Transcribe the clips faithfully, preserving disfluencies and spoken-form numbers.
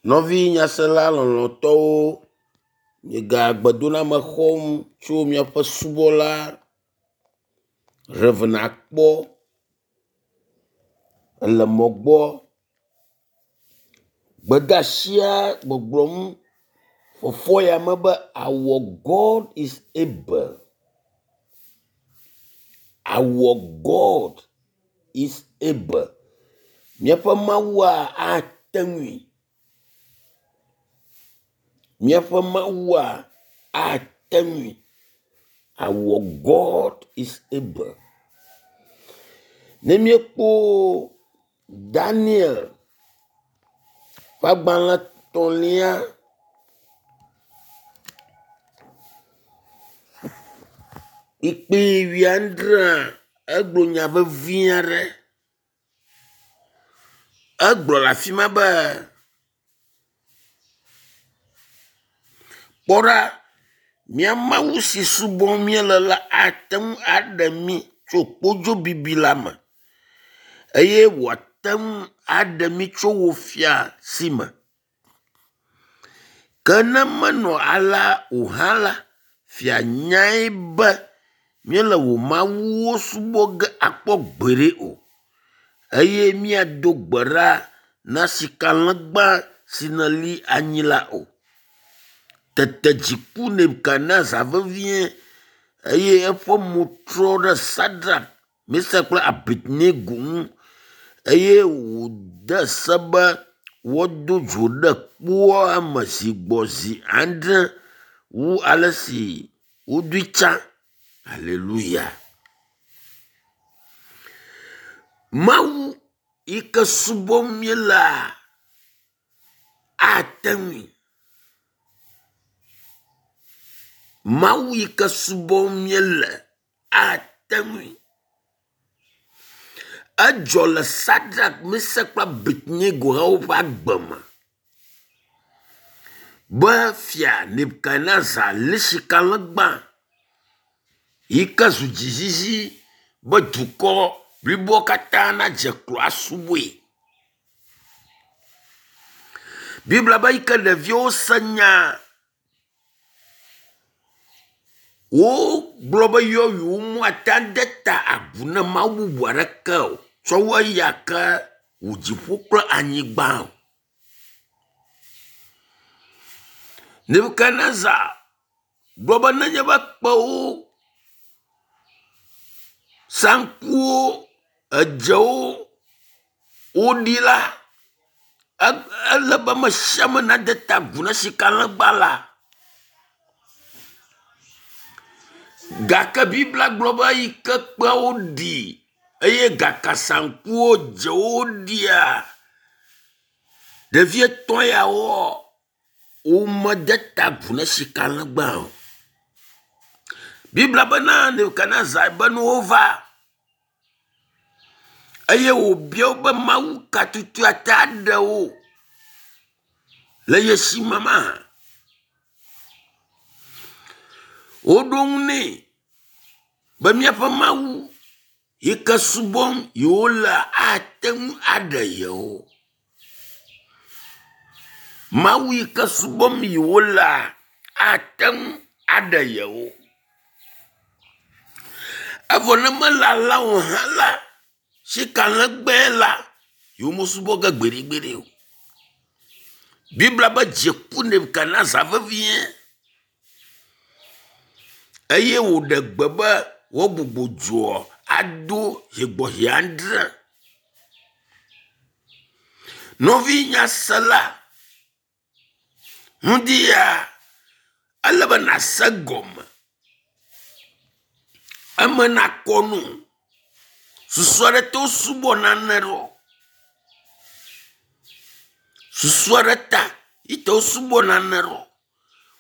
Nɔvi nyasela lɔlɔ̃tɔwo, miega gbedoname xɔm tso miaƒe subɔla Rev. Akpɔ ele mɔ gbɔ. Gbedeasia gbɔgblɔm fɔfɔ ya me be our God is able. Our God is able. Míaƒe Mawua ate ŋui. Míaƒe Mawua ate ŋui. Our God is able. Ne míekpɔ Daniel ƒe agbalẽ etɔ̃lia kpukpui wuiadrea egblɔ nya vevi aɖe. Egblɔ le afi ma be, kpɔ ɖa, mía Mawu si subɔm míele la ate ŋu aɖe mí tso kpodzo bibi la me eye wòate ŋu aɖe mí tso wò fia si me. Ke ne menɔ alea o hã la, fia nyae be míele wò mawuwo subɔ ge akpɔ gbeɖe o eye míado gbe ɖa na sikalegba si nèli anyi la o. Tete dzi ku Nebukadnezar vevie eye eƒe mo trɔ ɖe Sadrak, Mesak kple Abednego ŋu eye wòde se be woado dzo ɖe kpoa me zi gbɔ zi adre wu ale si wodoe tsã. Aleluya. Mawu yi ke subɔm míelea ate ŋui. Mawu yi ke subɔm míele ate ŋui. Edzɔ le Sadrak, Mesak kple Abednego hã woƒe agbe me be fia Nebukadnezar lé sikalegba yi ke zu dzizizi be dukɔ bliboa katã nadze klo asubɔe. Biblia be eyi ke ɖeviwo se nya wogblɔ be yewo yewoate ade ta agu na mawu bubu aɖeke o tsɔ wu eya ke wò dziƒo kple anyigba o. Nebukadnezar gblɔ be nenye be kpewo, saŋkuwo, edzewo woɖi la, ele be ame sia ame nade ta agu na sikalegba la. Gake Biblia gblɔ be eyi ke kpeawo ɖi eye gakasaŋkuwo dzewo ɖia, ɖevi etɔ̃ yawoa, womede ta agu na sikalegba o. Biblia bena Nebukadnezar be nuwo va eye wòbia wo be Mawu ka tutu ate aɖe wo le ye si me mahã. Woɖo ŋu nɛ be míaƒe Mawu yi ke subɔm yewolea ate ŋu aɖe yewo. Mawu yi ke subɔm yewolea ate ŋu aɖe yewo. Evɔ ne mele alea o hã la, sikalegbe la, yewomesubɔ ge gbeɖegbeɖe o. Biblia be dzi ku Nebukadnezar vevie eye wòɖe gbe be woagbugbɔ dzoa ado zi gbɔ zi adre. Nɔvi nyasela, ŋdi ya ele be nàse egɔme, eme nakɔ no. Susu aɖe to wosubɔ nane ɖo. Susu aɖe ta yi te wosubɔ nane ɖo.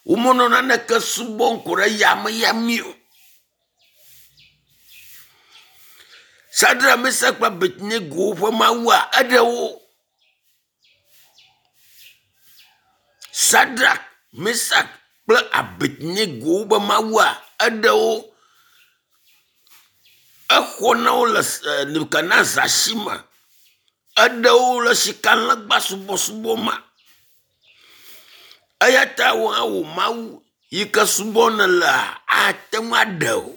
Womenɔ naneke subɔm ko ɖe yameyame o. Sadrak, Mesak kple Abednego ƒe Mawua eɖe wo. Sadrak, Mesak kple Abednego ƒe Mawua eɖe wo. Exɔ na wo le Nebukadnezar si me. Eɖe wo le sikalegba subɔsubɔ me. Eya ta wò hã wò Mawu yi ke subɔm nèlea ate ŋu aɖe wò.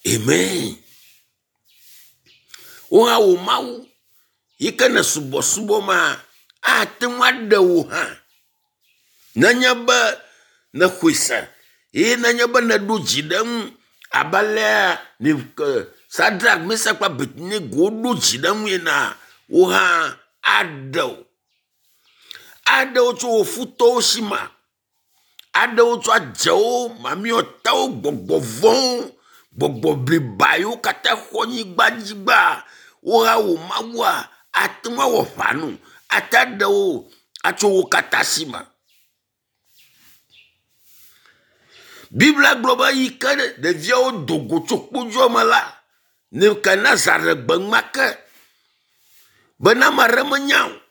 Amen. Wò hã wò Mawu yi ke ne subɔsubɔma ate ŋu aɖe wò hã. Nenye be nèxɔe se eye nenye be nèɖo dzi ɖe eŋu abe alea Sadrak, Mesak kple Abednego woɖo dzi ɖe eŋu enea, wò hã aɖe wò. Aɖe wò tso wò futɔwo si me. Aɖe wò tso adzewo, mamlɛtɔwo, gbɔgbɔ vɔ̃wo, gbɔgbɔ bliba yiwo katã xɔ anyigba dzi gbaa, wò hã wò Mawua ate ŋu awɔ aʋa na wò, ate aɖe wò atso wo katã si me. Biblia gblɔ be eyi ke ɖeviawo do go tso kpodzoa me la, Nebukadnezar ɖe gbe enumake bena ame aɖe menya o.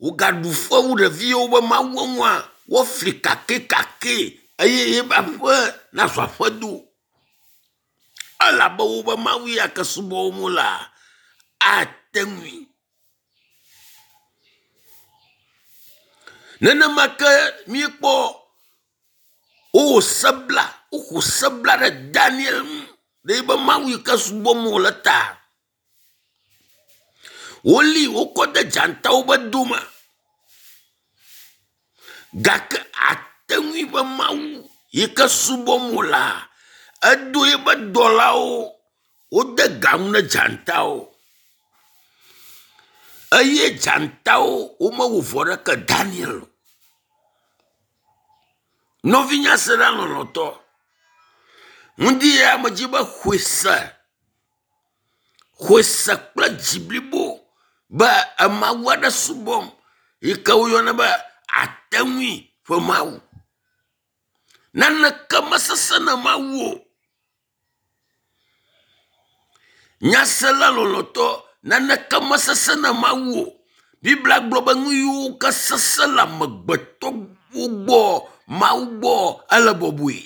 Wogaɖu fewu ɖeviwo be Mawua ŋua, woafli kakɛkakɛ eye yeƒe aƒe nazu aƒedo. Elabe wobe Mawu ya ke subɔm wolea, ate ŋui. Nenema ke míekpɔ wowɔ se bla, woxɔ se bla ɖe Daniel ŋu ɖe yibe Mawu yi ke subɔm wòle ta. Woli wokɔ de dzatawo ƒe dome gake ate ŋui be Mawu yi ke subɔm wòlea, edo eƒe dɔlawo wode ga ŋu ne dzatawo eye dzatawo womewɔ vɔ ɖeke Daniel o. Nɔvinye se ɖa lɔlɔ̃tɔ, ŋdi ya medzi be xɔe se, xɔe se kple dzi blibo be emawu aɖe subɔm yi ke woyɔna be ate ŋui ƒe Mawu. Naneke mesesẽ na Mawu o. Nyasela lɔlɔ̃tɔ, naneke mesesẽ na Mawu o. Biblia gblɔ be nu yiwo ke sesẽ le amegbetɔwo gbɔ, Mawu gbɔ ele bɔbɔe.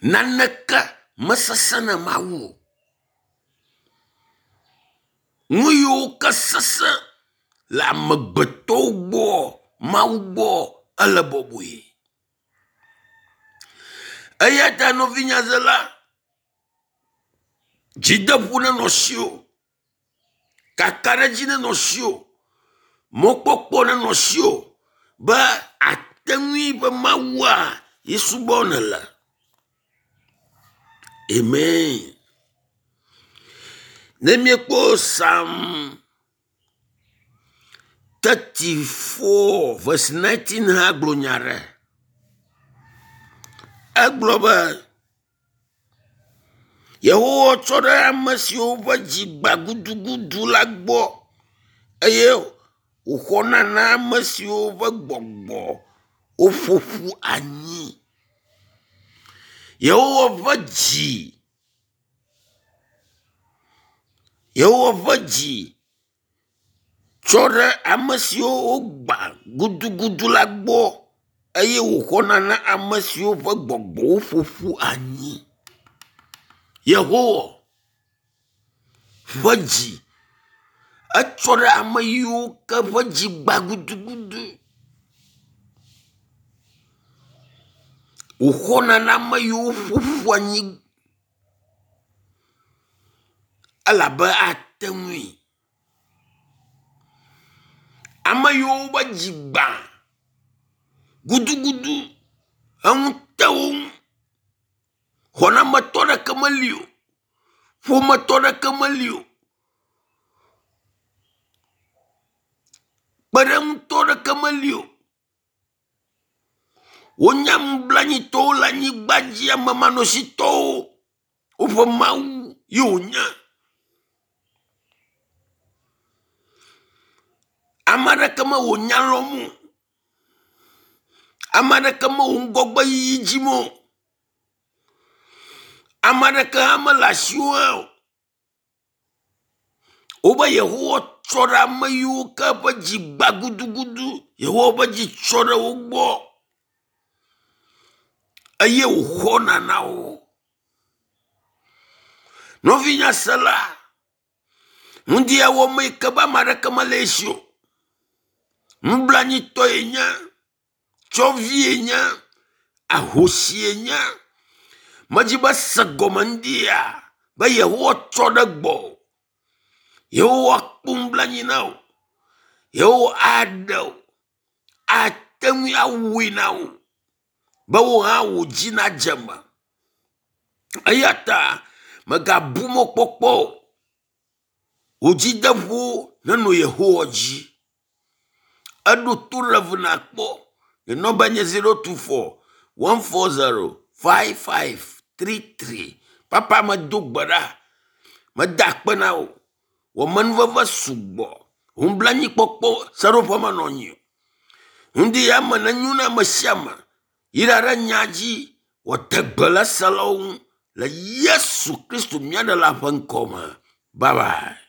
Naneke mesesẽ na Mawu o. Nu yiwo ke sesẽ le amegbetɔwo gbɔ, Mawu gbɔ ele bɔbɔe. Eya ta nɔvinyazela, dzideƒo nenɔ asiwò, kakaɖedzi nenɔ asiwò, mɔkpɔkpɔ nenɔ asiwò be ate ŋui be Mawua ye subɔm nèle. Amen. Ne míekpɔ Psalm thirty-four verse nineteen hã gblɔ nya ɖe. Egblɔ be Yehowa tsɔ ɖe ame siwo ƒe dzi gbã gudugudu la gbɔ eye wòxɔna na ame siwo ƒe gbɔgbɔ woƒo ƒu anyi. Yehowa ƒe dzi, Yehowa ƒe dzi tsɔ ɖe ame siwo wogbã gudugudu la gbɔ eye wòxɔna na ame siwo ƒe gbɔgbɔ woƒo ƒu anyi. Yehowa ƒe dzi etsɔ ɖe ame yiwo ke ƒe dzi gbã gudugudu. Wòxɔna na ame yiwo ƒo ƒu anyi elabe ate ŋui. Ame yiwo ƒe dzi gbã gudugudu, eŋu te wo ŋu, xɔnametɔ ɖeke meli o, ƒometɔ ɖeke meli o, kpeɖeŋutɔ ɖeke meli o. Wonye nublanuitɔwo le anyigba dzi, amemanɔsitɔwo, woƒe Mawu ye wònye. Ame aɖeke mewɔ nya lɔm o. Ame aɖeke mewɔ ŋgɔgbeyiyi dzim o. Ame aɖeke hã mele asiwò hã o. Wobe Yehowa tsɔ ɖe ame yiwo ke ƒe dzi gbã gudugudu. Yehowa ƒe dzi tsɔ ɖe wo gbɔ eye wòxɔna na wo. Nɔvinyasela, Ŋdi ya wɔm yi ke be ame aɖeke mele esi o. Nublanitɔe nye, tsɔvie nye, ahosie nye. Medzi be se gɔme ŋdi ya be Yehowa tsɔ ɖe gbɔ. Yehowa kpɔ nublanui na wò. Yehowa aɖe wò. Ate ŋui awɔe na wò be wò hã wò dzi nadze eme. Eya ta mègabu mɔkpɔkpɔ o. Wò dzideƒo nenɔ Yehowa dzi. Eɖo to ɖe nakpɔ. Nye nɔmba nye zero two four one four zero five five three three. Papa medo gbe ɖa. Meda akpe na wò. Wò amenuveve sugbɔ. Wò nublanuikpɔkpɔ seɖoƒe menɔ anyi o. Ŋdi ya me nenyo na ame sia ame. Yra ɖe nya dzi wòate gbe le eselawo ŋu le Yesu Kristo mía ɖela ƒe ŋkɔ me. Bye bye.